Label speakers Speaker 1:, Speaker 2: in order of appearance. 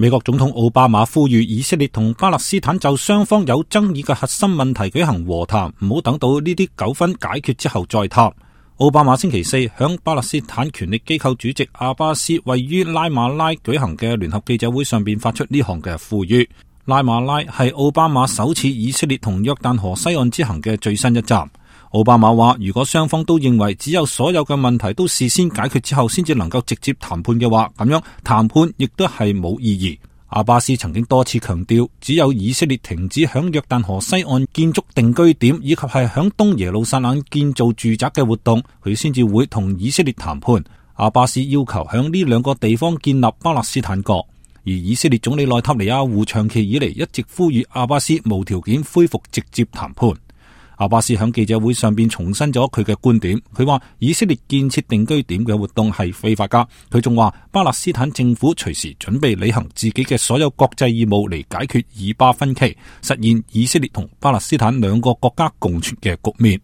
Speaker 1: 美國總統奧巴馬呼籲以色列同巴勒斯坦就雙方有爭議嘅核心問題舉行和談，唔好等到呢啲糾紛解決之後再談。奧巴馬星期四響巴勒斯坦權力機構主席阿巴斯位於拉馬拉舉行嘅聯合記者會上邊發出呢項嘅呼籲。拉馬拉係奧巴馬首次以色列同約旦河西岸之行嘅最新一站。奧巴馬話，如果雙方都認為只有所有嘅問題都事先解決之後先至能夠直接談判嘅話，咁樣談判亦都係冇意義。阿巴斯曾經多次強調，只有以色列停止響約旦河西岸建築定居點，以及係響東耶路撒冷建造住宅嘅活動，佢先至會同以色列談判。阿巴斯要求響呢兩個地方建立巴勒斯坦國，而以色列總理內塔尼亞胡長期以嚟一直呼籲阿巴斯無條件恢復直接談判。阿巴斯喺記者會上邊重申咗佢嘅觀點，佢話以色列建設定居點嘅活動係非法噶。佢仲話巴勒斯坦政府隨時準備履行自己嘅所有國際義務嚟解決以巴分歧，實現以色列同巴勒斯坦兩個國家共存嘅局面。